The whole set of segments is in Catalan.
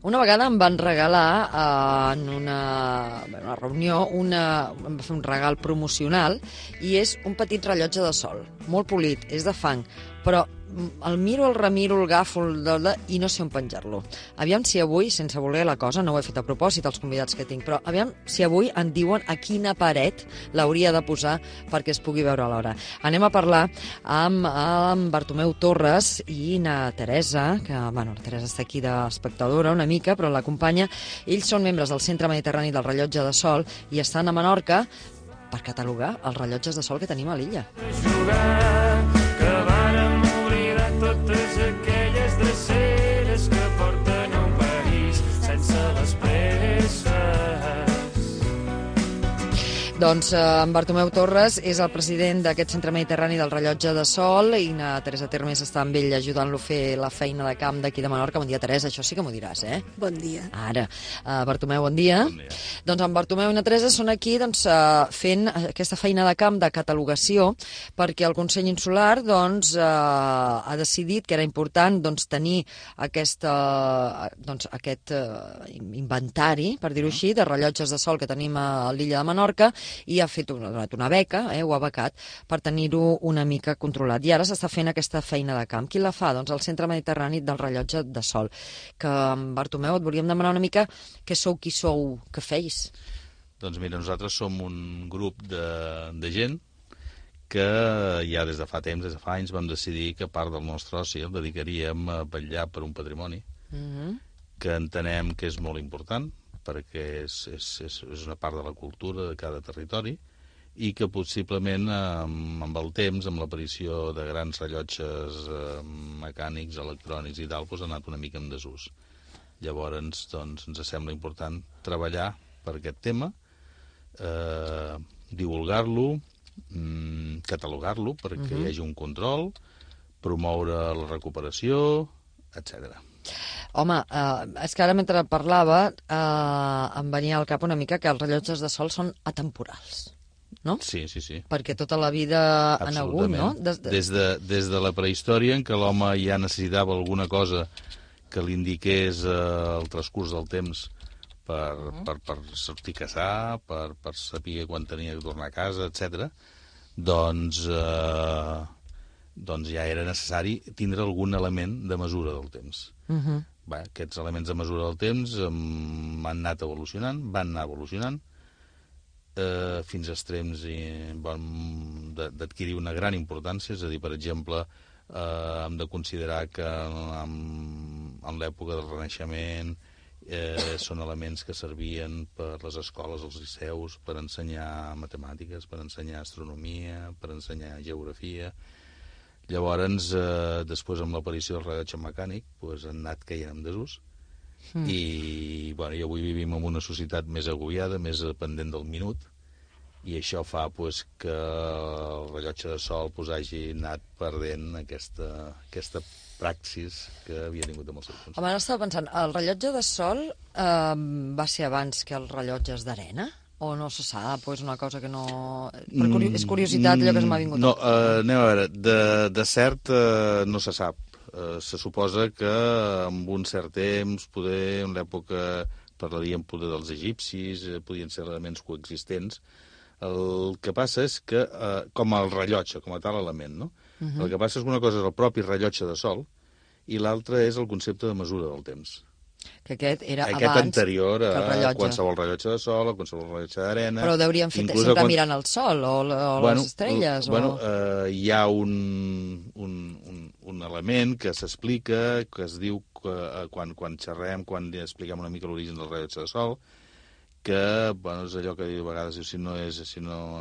Una vegada em van regalar en una reunió, em va fer un regal promocional i és un petit rellotge de sol, molt polit, és de fang, però el miro, el remiro, el agafo i no sé on penjar-lo. Aviam si avui, sense voler la cosa, no ho he fet a propòsit als convidats que tinc, però aviam si avui em diuen a quina paret l'hauria de posar perquè es pugui veure alhora. Anem a parlar amb Bartomeu Torres i na Teresa, que, bueno, la Teresa està aquí d'espectadora una mica, però l'acompanya. Ells són membres del Centre Mediterrani del Rellotge de Sol i estan a Menorca per catalogar els rellotges de sol que tenim a l'illa. Que vàrem oblidar totes aquelles dreceres que porten a un país sense les presses. Doncs en Bartomeu Torres és el president d'aquest Centre Mediterrani del Rellotge de Sol i na Teresa Termes està amb ell ajudant-lo a fer la feina de camp d'aquí de Menorca. Bon dia, Teresa, això sí que m'ho diràs, eh? Bon dia. Ara. Bartomeu, bon dia. Bon dia. Doncs en Bartomeu i na Teresa són aquí fent aquesta feina de camp de catalogació perquè el Consell Insular ha decidit que era important tenir aquest inventari, per dir-ho així, de rellotges de sol que tenim a l'illa de Menorca i ha donat una beca, ho ha becat, per tenir-ho una mica controlat. I ara s'està fent aquesta feina de camp. Qui la fa? Doncs el Centre Mediterrani del Rellotge de Sol. Que, Bartomeu, et volíem demanar una mica què sou, qui sou, què feis? Doncs mira, nosaltres som un grup de gent que ja des de fa temps, des de fa anys, vam decidir que part del nostre oci el dedicaríem a vetllar per un patrimoni que entenem que és molt important, perquè és una part de la cultura de cada territori i que possiblement amb el temps, amb l'aparició de grans rellotges mecànics, electrònics i tal, ha anat una mica en desús. Llavors, doncs, ens sembla important treballar per aquest tema, divulgar-lo, catalogar-lo perquè hi hagi un control, promoure la recuperació, etc. Home, és que ara mentre parlava em venia al cap una mica que els rellotges de sol són atemporals, no? Sí. Perquè tota la vida han hagut, no? Des de la prehistòria, en què l'home ja necessitava alguna cosa que li indiqués el transcurs del temps per sortir a caçar, per saber quan tenia que tornar a casa, etc. Doncs ja era necessari tindre algun element de mesura del temps. Aquests elements de mesura del temps van anar evolucionant fins a extrems d'adquirir una gran importància. És a dir, per exemple, hem de considerar que en l'època del Renaixement són elements que servien per les escoles, els liceus, per ensenyar matemàtiques, per ensenyar astronomia, per ensenyar geografia. Llavors, després amb l'aparició del rellotge mecànic, han anat caient en desús i avui vivim en una societat més agobiada, més dependent del minut, i això fa que el rellotge de sol hagi anat perdent aquesta praxis que havia tingut amb el seu consell. Home, ara estava pensant, el rellotge de sol va ser abans que els rellotges d'arena? O no se sap, o és una cosa que no... És curiositat allò que se m'ha vingut. No, anem a veure, de cert no se sap. Se suposa que en un cert temps, poder en l'època, parlaríem poder dels egipcis, podien ser elements coexistents. El que passa és que, com el rellotge, com a tal element, no? El que passa és que una cosa és el propi rellotge de sol i l'altra és el concepte de mesura del temps. Que aquest era aquest abans anterior a qualsevol rellotge de sol o qualsevol rellotge d'arena. Però hauríem fet sempre mirant el sol o les estrelles. Hi ha un element que s'explica, que es diu quan xerrem, quan expliquem una mica l'origen del rellotge de sol, que és allò que a vegades si no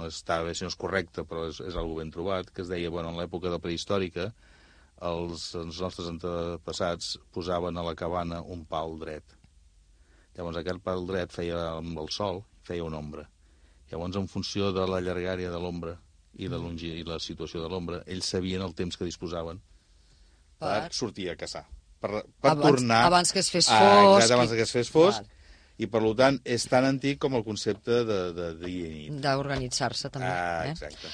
està bé, si no és correcte, però és algo ben trobat, que es deia, en l'època de prehistòrica, els nostres antepassats posaven a la cabana un pal dret. Llavors aquest pal dret feia amb el sol, feia una ombra. Llavors, en funció de la llargària de l'ombra i la situació de l'ombra, ells sabien el temps que disposaven per sortir a caçar. Per tornar... Abans que es fes fosc. Abans que es fes fosc. I, per tant, és tan antic com el concepte de dia i nit. D'organitzar-se, també. Exacte.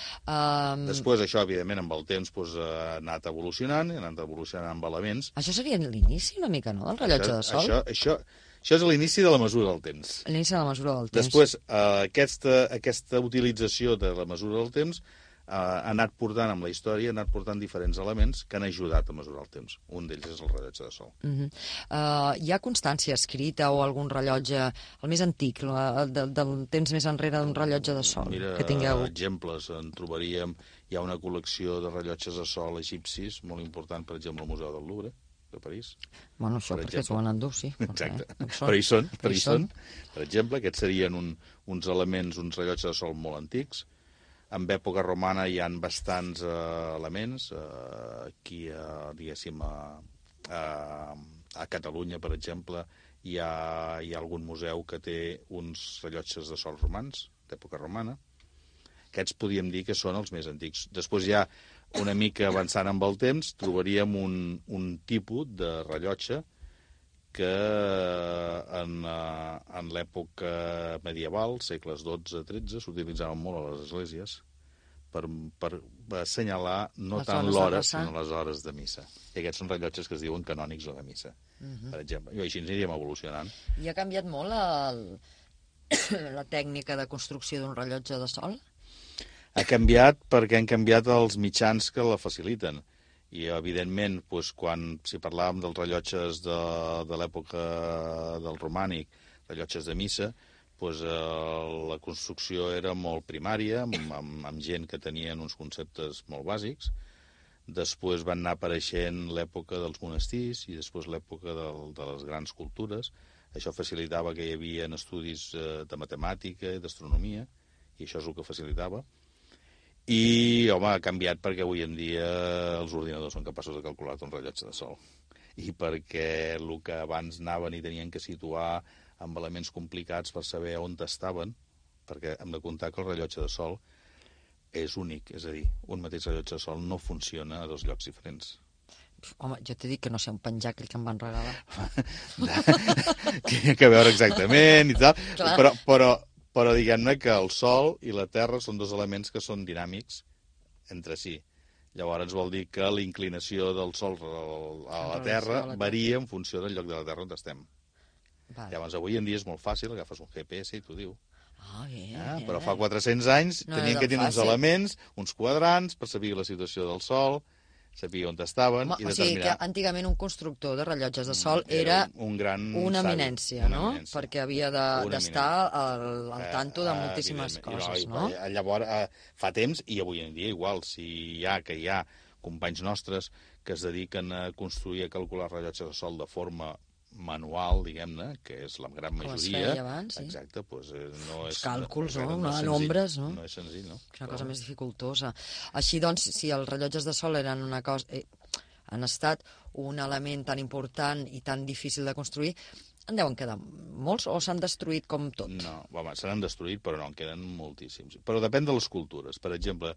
Després, això, evidentment, amb el temps ha anat evolucionant, ha anat evolucionant amb elements. Això seria l'inici, una mica, no?, del rellotge de sol? Això és l'inici de la mesura del temps. L'inici de la mesura del temps. Després, aquesta utilització de la mesura del temps ha anat portant amb la història, ha anat portant diferents elements que han ajudat a mesurar el temps. Un d'ells és el rellotge de sol. Hi ha constància escrita o algun rellotge, el més antic, del temps més enrere d'un rellotge de sol? Mira, que tingueu... exemples, en trobaríem... Hi ha una col·lecció de rellotges de sol egipcis, molt important, per exemple, al Museu del Louvre, de París. Bueno, això perquè s'ho van endur, sí. Exacte. Però hi són. Per exemple, aquests serien uns elements, uns rellotges de sol molt antics. En època romana hi han bastants elements. Aquí, diguéssim, a Catalunya, per exemple, hi ha algun museu que té uns rellotges de sol romans, d'època romana. Aquests podríem dir que són els més antics. Després ja, una mica avançant amb el temps, trobaríem un tipus de rellotge que en l'època medieval, segles XII-XIII, s'utilitzaven molt a les esglésies per assenyalar no tant l'hora, sinó les hores de missa. I aquests són rellotges que es diuen canònics o de missa, per exemple. I així ens aniríem evolucionant. I ha canviat molt la tècnica de construcció d'un rellotge de sol? Ha canviat perquè han canviat els mitjans que la faciliten. I, evidentment, si parlàvem dels rellotges de l'època del romànic, rellotges de missa, la construcció era molt primària, amb gent que tenien uns conceptes molt bàsics. Després van anar apareixent l'època dels monestirs i després l'època de les grans cultures. Això facilitava que hi havia estudis de matemàtica i d'astronomia, i això és el que facilitava. I, home, ha canviat perquè avui en dia els ordinadors són capaços de calcular un rellotge de sol. I perquè el que abans anaven i tenien que situar amb elements complicats per saber on estaven, perquè hem de comptar que el rellotge de sol és únic, és a dir, un mateix rellotge de sol no funciona a dos llocs diferents. Home, jo t'he dit que no sé on penjar aquell que em van regalar. Que hi ha que veure exactament i tal, però diguem-ne que el Sol i la Terra són dos elements que són dinàmics entre si. Llavors vol dir que la inclinació del Sol a la Terra varia en funció del lloc de la Terra on estem. Llavors, avui en dia és molt fàcil, agafes un GPS i t'ho diu. Però fa 400 anys tenien que tenir uns elements, uns quadrants, per saber la situació del Sol, saber on estaven i determinar... O sigui que antigament un constructor de rellotges de sol era una eminència, no? Perquè havia d'estar al tanto de moltíssimes coses, no? Llavors, fa temps, i avui en dia igual, si hi ha companys nostres que es dediquen a construir, a calcular rellotges de sol de forma manual, diguem-ne, que és la gran majoria. Com es feia abans, sí. Exacte, doncs no és... Càlculs, no? En ombres, no? No és senzill, no? És una cosa més dificultosa. Així, doncs, si els rellotges de sol eren una cosa... han estat un element tan important i tan difícil de construir, en deuen quedar molts o s'han destruït com tot? No, home, se n'han destruït, però no, en queden moltíssims. Però depèn de les cultures. Per exemple,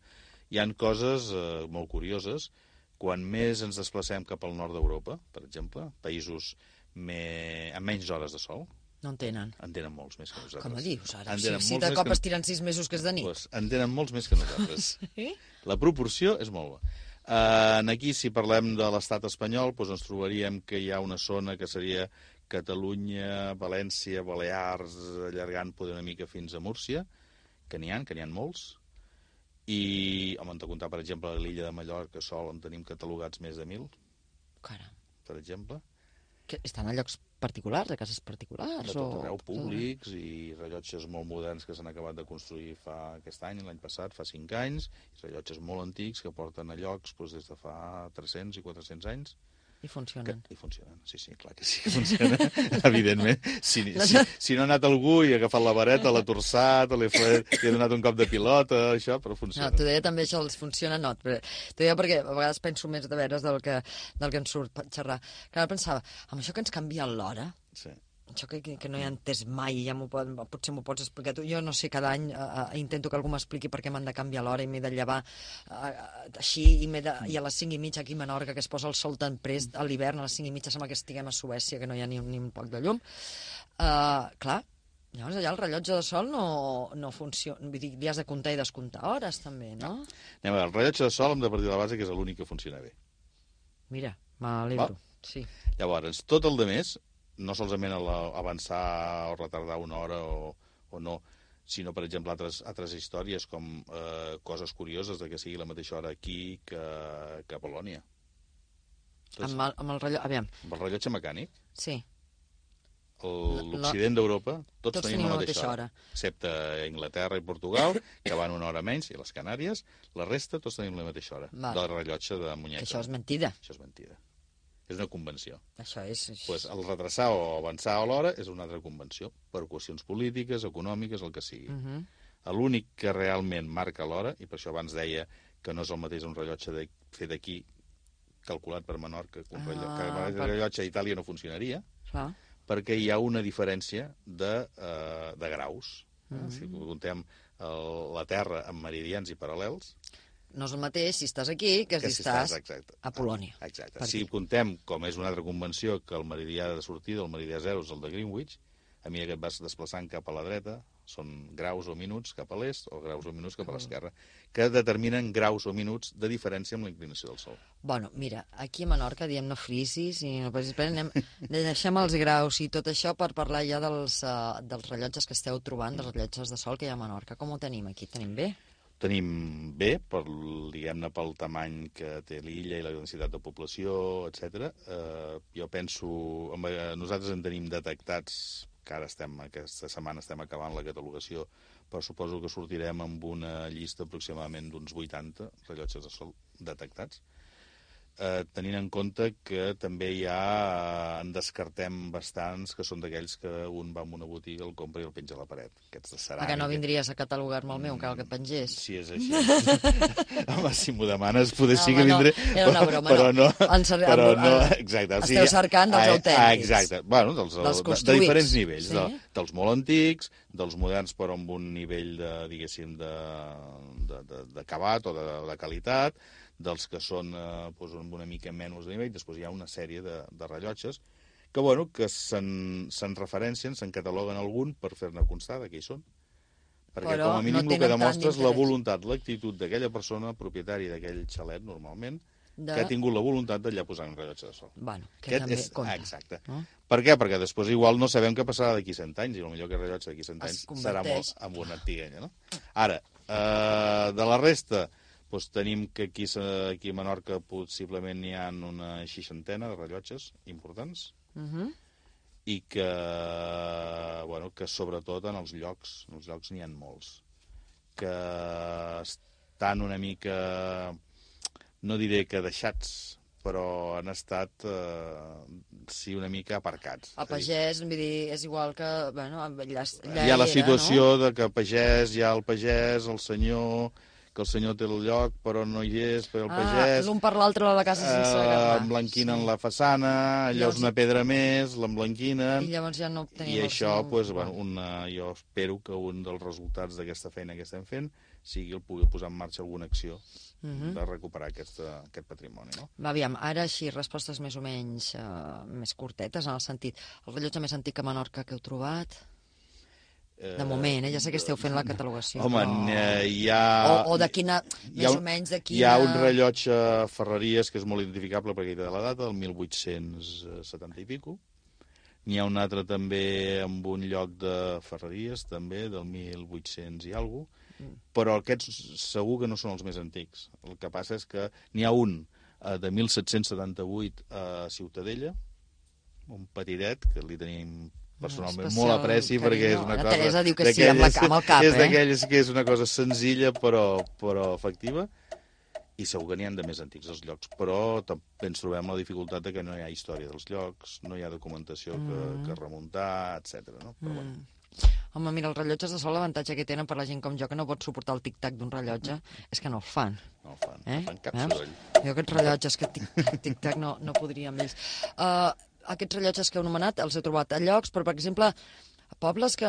hi han coses molt curioses. Quan més ens desplacem cap al nord d'Europa, per exemple, països amb menys hores de sol. No en tenen. En tenen molts més que nosaltres. Com a dius, ara? Si de cop es tiren 6 mesos que és de nit. Pues en tenen molts més que nosaltres. Sí? La proporció és molt bona. Aquí, si parlem de l'estat espanyol, doncs ens trobaríem que hi ha una zona que seria Catalunya, València, Balears, allargant poder una mica fins a Múrcia, que n'hi ha molts. I, home, hem de comptar, per exemple, a l'illa de Mallorca sol on tenim catalogats més de 1.000. Caram. Per exemple. Que estan a llocs particulars, a cases particulars? De tot arreu, públics i rellotges molt moderns que s'han acabat de construir aquest any, l'any passat, fa 5 anys, i rellotges molt antics que porten a llocs des de fa 300 i 400 anys. I funcionen. I funcionen, sí, clar que sí que funcionen, evidentment. Si no ha anat algú i ha agafat la vareta, l'ha torçat, li ha donat un cop de pilota, això, però funciona. No, t'ho deia també, això els funciona, no. T'ho deia perquè a vegades penso més de veres del que ens surt per xerrar. Que ara pensava, amb això que ens canvia l'hora, sí. això que no he entès mai, potser m'ho pots explicar tu. Jo no sé, cada any intento que algú m'expliqui per què m'han de canviar l'hora i m'he de llevar així i a les 5:30 aquí a Menorca, que es posa el sol tan prest a l'hivern, a les 5:30 sembla que estiguem a Suècia, que no hi ha ni un poc de llum. Clar, llavors allà el rellotge de sol no funciona, vull dir, li has de comptar i descomptar hores també, no? Anem a veure, el rellotge de sol hem de partir de la base que és l'únic que funciona bé. Mira, m'alegro, sí. Llavors, tot el demés, no solament avançar o retardar una hora o no, sinó, per exemple, altres històries com coses curioses de que sigui la mateixa hora aquí que a Polònia. Amb el rellotge, aviam. Amb el rellotge mecànic, sí. L'Occident d'Europa, tots tenim la mateixa hora. Excepte Anglaterra i Portugal, que van una hora menys, i les Canàries, la resta tots tenim la mateixa hora, del rellotge de muñeca. Això és mentida. Això és mentida. És una convenció. Això és... Pues el retrasar o avançar a l'hora és una altra convenció, per qüestions polítiques, econòmiques, el que sigui. L'únic que realment marca l'hora, i per això abans deia que no és el mateix un rellotge fet aquí, calculat per Menorca, que un rellotge a Itàlia no funcionaria, perquè hi ha una diferència de graus. Si comptem la Terra en meridians i paral·lels, no és el mateix si estàs aquí que si estàs a Polònia. Exacte. Si comptem, com és una altra convenció, que el meridià de sortida, el meridià 0, és el de Greenwich, a mesura que et vas desplaçant cap a la dreta, són graus o minuts cap a l'est o graus o minuts cap a l'esquerra, que determinen graus o minuts de diferència amb la inclinació del sol. Bueno, mira, aquí a Menorca diem no frisis i no passis per deixem els graus i tot això per parlar ja dels rellotges que esteu trobant, dels rellotges de sol que hi ha a Menorca. Com ho tenim aquí? Tenim bé? Tenim bé, diguem-ne, pel tamany que té l'illa i la densitat de població, etc. Jo penso... Nosaltres en tenim detectats, que ara aquesta setmana estem acabant la catalogació, però suposo que sortirem amb una llista aproximadament d'uns 80 rellotges de sol detectats. Tenint en compte que també en descartem bastants que són d'aquells que un va a una botiga, el compra i el penja a la paret. Aquests de ceràmica. Que no vindries a catalogar-me el meu, cal que et pengés. Si és així. Home, si m'ho demanes, potser sí que vindré. Era una broma, però no. Exacte. Esteu cercant dels autèntics. Exacte. Bueno, de diferents nivells. Dels molt antics, dels moderns, però amb un nivell, diguéssim, d'acabat o de qualitat, dels que són amb una mica menys de nivell. Després hi ha una sèrie de rellotges que se'n referencien, se'n cataloguen algun per fer-ne constar de què hi són. Perquè com a mínim el que demostra és la voluntat, l'actitud d'aquella persona, propietària d'aquell xalet, normalment, que ha tingut la voluntat d'allà posar un rellotge de sol. Bueno, que també compta. Exacte. Per què? Perquè després igual no sabem què passarà d'aquí 100 anys, i potser que el rellotge d'aquí 100 anys serà molt amb una antiguenya, no? Ara, de la resta... tenim que aquí a Menorca possiblement n'hi ha una 60 de rellotges importants i que sobretot en els llocs n'hi ha molts, que estan una mica, no diré que deixats, però han estat, una mica aparcats. A pagès, vull dir, és igual que... Hi ha la situació de que a pagès hi ha el pagès, el senyor... que el senyor té el lloc, però no hi és, per el pagès... L'un per l'altre de la casa sense agafar. Emblanquinen la façana, allò és una pedra més, l'emblanquinen... I llavors ja no tenim... I això, jo espero que un dels resultats d'aquesta feina que estem fent sigui el poder posar en marxa alguna acció de recuperar aquest patrimoni, no? Aviam, ara així, respostes més o menys més curtetes, en el sentit, el rellotge més antic a Menorca que heu trobat... De moment, ja sé que esteu fent la catalogació. Home, hi ha... O de quina, més o menys de quina... Hi ha un rellotge Ferreries que és molt identificable perquè hi té la data, del 1870 i pico. N'hi ha un altre també amb un lloc de Ferreries, també, del 1800 i alguna cosa. Però aquests segur que no són els més antics. El que passa és que n'hi ha un de 1778 a Ciutadella, un petitet, que li tenim... personalment molt apreci perquè és una cosa... Teresa diu que sí, amb el cap, És d'aquelles que és una cosa senzilla però efectiva, i segur que n'hi ha de més antics els llocs, però també ens trobem la dificultat de que no hi ha història dels llocs, no hi ha documentació que remuntar, etc. No? Però bueno. Home, mira, els rellotges de sol, l'avantatge que tenen per la gent com jo, que no pot suportar el tic-tac d'un rellotge, és que no el fan. No el fan, no fan cap soroll. Jo aquests rellotges que tic-tac no podria amb ells. aquests rellotges que heu anomenat els he trobat a llocs, però, per exemple, pobles que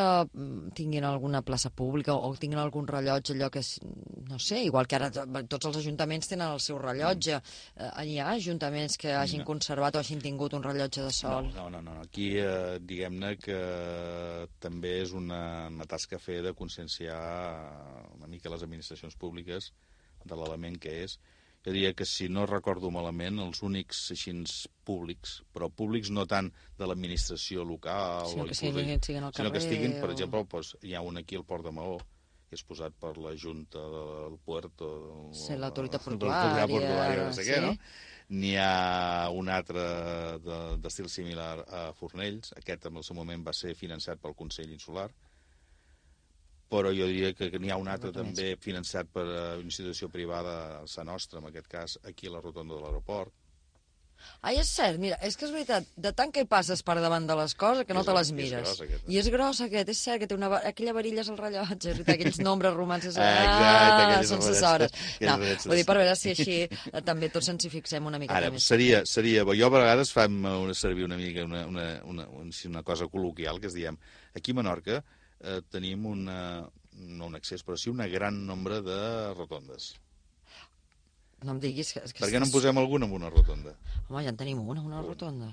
tinguin alguna plaça pública o tinguin algun rellotge, allò que és, no sé, igual que ara tots els ajuntaments tenen el seu rellotge. Hi ha ajuntaments que hagin conservat o hagin tingut un rellotge de sol? No. Aquí, diguem-ne que també és una tasca a fer de conscienciar una mica les administracions públiques de l'element que és. Jo diria que, si no recordo malament, els únics així públics, però públics no tant de l'administració local, sinó que siguin al carrer, sinó que estiguin, per exemple, doncs, hi ha un aquí al Port de Maó, que és posat per la Junta del Puerto, l'autoritat portuària, no sé què, no? N'hi ha un altre d'estil similar a Fornells, aquest en el seu moment va ser finançat pel Consell Insular, però jo diria que n'hi ha un altre també finançat per una institució privada, Sa Nostra, en aquest cas, aquí a la rotonda de l'aeroport. Ai, és cert, mira, és que és veritat, de tant que hi passes per davant de les coses que no te les mires. I és gros aquest, és cert que té aquella varilla és el rellotge, és veritat, aquells nombres romans, sense hores. No, vull dir, per veure si així també tots ens hi fixem una mica més. Ara, seria, jo a vegades fem servir una mica una cosa col·loquial, que és, diem, aquí a Menorca tenim no un excés, però sí un gran nombre de rotondes. No em diguis que... Per què no en posem alguna en una rotonda? Home, ja en tenim una rotonda.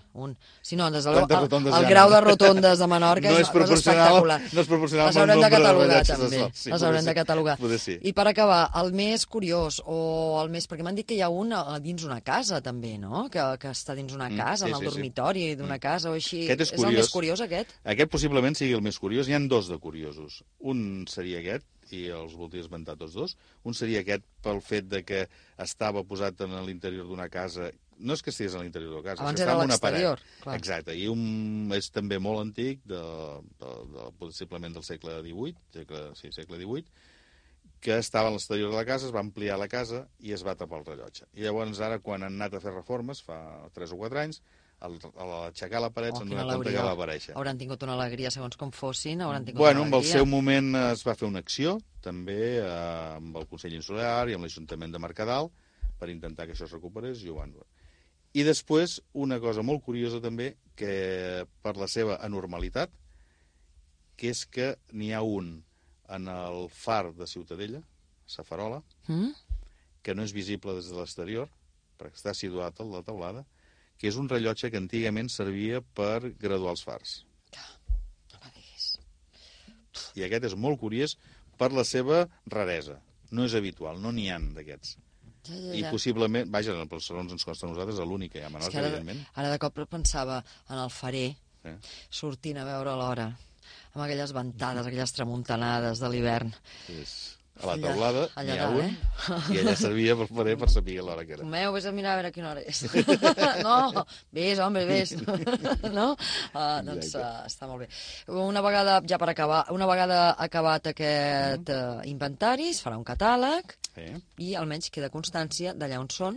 Si no, des del el grau de rotondes de Menorca és espectacular. No és proporcional. Les haurem de catalogar, també. Les haurem de catalogar. I per acabar, el més curiós, o el més... Perquè m'han dit que hi ha un dins una casa, també, no? Que està dins una casa, en el dormitori d'una casa o així. És el més curiós, aquest? Aquest possiblement sigui el més curiós. N'hi ha dos de curiosos. Un seria aquest, i els voldria esmentar tots dos. Un seria aquest pel fet de que estava posat en l'interior d'una casa. No és que estigués a l'interior de la casa, abans era a l'exterior. Exacte, i és també molt antic, possiblement del segle XVIII, segle XVIII, que estava a l'exterior de la casa, es va ampliar la casa i es va tapar el rellotge. I llavors ara, quan han anat a fer reformes, fa 3 o 4 anys, a l'aixecar la paret s'han donat compte que va aparèixer. Hauran tingut una alegria, segons com fossin, en el seu moment es va fer una acció, també amb el Consell Insular i amb l'Ajuntament de Mercadal, per intentar que això es recuperés, i ho van... I després, una cosa molt curiosa també, que per la seva anormalitat, que és que n'hi ha un en el far de Ciutadella, Sa Farola, que no és visible des de l'exterior, perquè està situat a la teulada, que és un rellotge que antigament servia per graduar els fars. No me diguis. I aquest és molt curiós per la seva raresa. No és habitual, no n'hi ha d'aquests. I possiblement, vaja, en els salons ens costa a nosaltres, l'únic que hi ha a Menorca, evidentment. Ara de cop pensava en el farer, sortint a veure l'hora, amb aquelles ventades, aquelles tramuntanades de l'hivern. A la teulada n'hi ha un, i allà servia per farer per saber l'hora que era. Meu, vés a mirar a veure quina hora és. No, vés, home, vés. No? Doncs està molt bé. Una vegada, ja per acabar, una vegada acabat aquest inventari, es farà un catàleg i almenys queda constància d'allà on són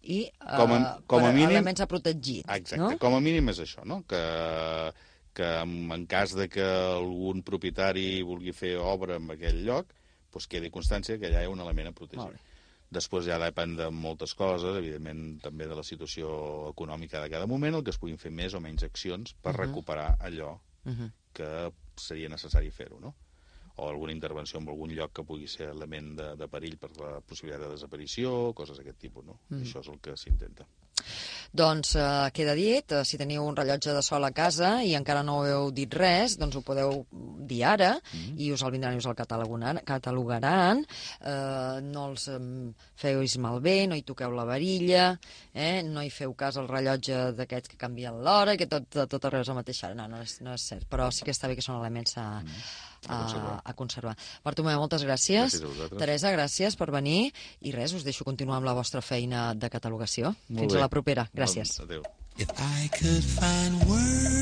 i com a mínim, elements a protegir. Exacte, com a mínim és això, no? Que en cas de que algun propietari vulgui fer obra en aquell lloc, doncs quedi constància que allà hi ha un element a protegir. Després ja depèn de moltes coses, evidentment també de la situació econòmica de cada moment, el que es puguin fer més o menys accions per recuperar allò que seria necessari fer-ho, no? O alguna intervenció en algun lloc que pugui ser element de perill per la possibilitat de desaparició, coses d'aquest tipus, no? Això és el que s'intenta. Doncs queda dit, si teniu un rellotge de sol a casa i encara no heu dit res, doncs ho podeu dir ara i us el vindran i us el catalogaran. No els feu malbé, no hi toqueu la varilla, no hi feu cas al rellotge d'aquests que canvien l'hora, que tot arreu és la mateixa hora. No és cert, però sí que està bé que són elements a conservar. Bartomeu, moltes gràcies. Gràcies a vosaltres. Teresa, gràcies per venir. I res, us deixo continuar amb la vostra feina de catalogació. Fins a la propera. Gràcies. Adéu. If I could find words